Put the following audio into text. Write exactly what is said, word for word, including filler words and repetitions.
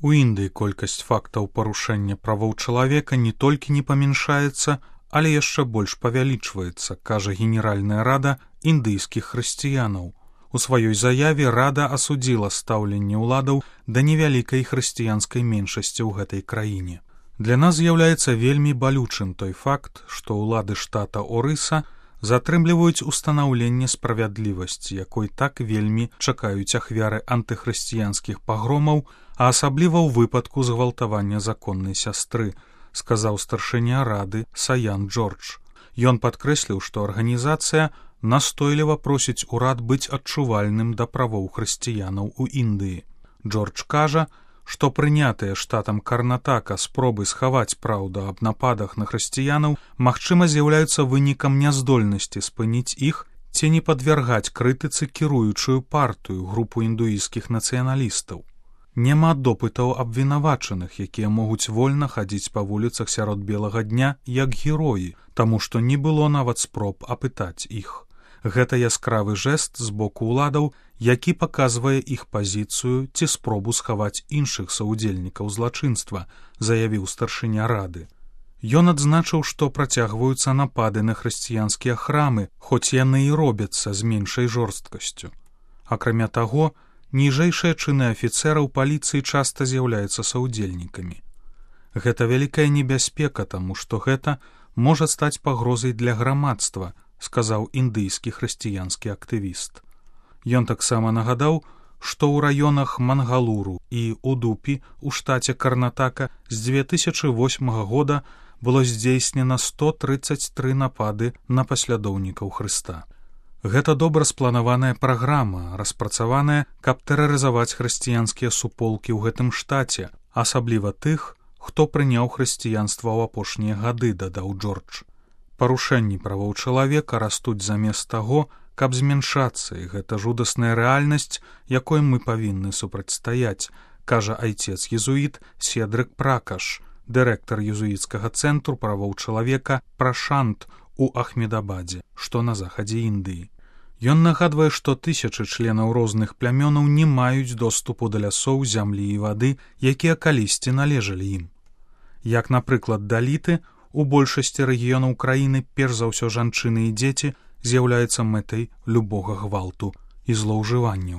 У Індыі колькасць фактаў парушэння правоў чалавека не толькі не памяншаецца, але яшчэ больш павялічваецца, кажа Генеральная рада індыйскіх хрысціянаў. У сваёй заяве рада асудзіла стаўленне ўладаў да невялікай хрысціянскай меншасці ў гэтай краіне. Для нас з'яўляецца вельмі балючым той факт, што ўлады штата Орыса затрымліваюць устанаўленне справядлівасці, якой так вельмі чакаюць ахвяры антыхрысціянскіх пагромаў, а асабліва ў выпадку згвалтавання законнай сястры, сказаў старшыня рады Саян Джордж. Ён падкрэсліў, што арганізацыя настойліва просіць урад быць адчувальным да правоў хрысціянаў у Індыі. Джордж кажа, што прынятыя штатам Карнатака спробы схаваць праўду аб нападах на хрысціянаў магчыма з'яўляюцца вынікам няздольнасці спыніць іх ці не падвяргаць крытыцы кіруючую партыю, групу індуісцкіх нацыяналістаў. Няма допытаў абвінавачаных, якія могуць вольна хадзіць па вуліцах сярод белага дня як героі, таму што не было нават спроб апытаць іх. Гэта яскравы жэст з боку ўладаў, які паказвае іх пазіцыю ці спробу схаваць іншых саўдзельнікаў злачынства, заявіў старшыня рады. Ён адзначыў, што працягваюцца напады на хрысціянскія храмы, хоць яны і робяцца з меншай жорсткасцю. Акрамя таго, ніжэйшыя чыны афіцэраў паліцыі часта з'яўляюцца саўдзельнікамі. Гэта вялікая небяспека, таму што гэта можа стаць пагрозай для грамадства, сказаў індыйскі хрысціянскі актывіст. Ён таксама нагадаў, што ў раёнах Мангалуру і Удупі ў штаце Карнатака з дзве тысячы восьмага года было здзейснена сто трыццаць тры напады на паслядоўнікаў Хрыста. Гэта добра спланаваная праграма, распрацаваная, каб тэрарызаваць хрысціянскія суполкі ў гэтым штаце, асабліва тых, хто прыняў хрысціянства ў апошнія гады, дадаў Джордж. Парушэнні правоў чалавека растуць замест таго, каб змяншацца, і гэта жудасная рэальнасць, якой мы павінны супрацьстаяць, кажа айцец-езуіт Седрык Пракаш, дырэктар езуіцкага цэнтру правоў чалавека Прашант у Ахмедабадзе, што на захадзе Індыі. Ён нагадвае, што тысячы членаў розных плямёнаў не маюць доступу да лясоў, зямлі і вады, якія калісьці належалі ім. Як, напрыклад, даліты, у большасці рэгіёнаў краіны перш за ўсё жанчыны і дзеці з'яўляецца мэтай любога гвалту і злоўжыванняў.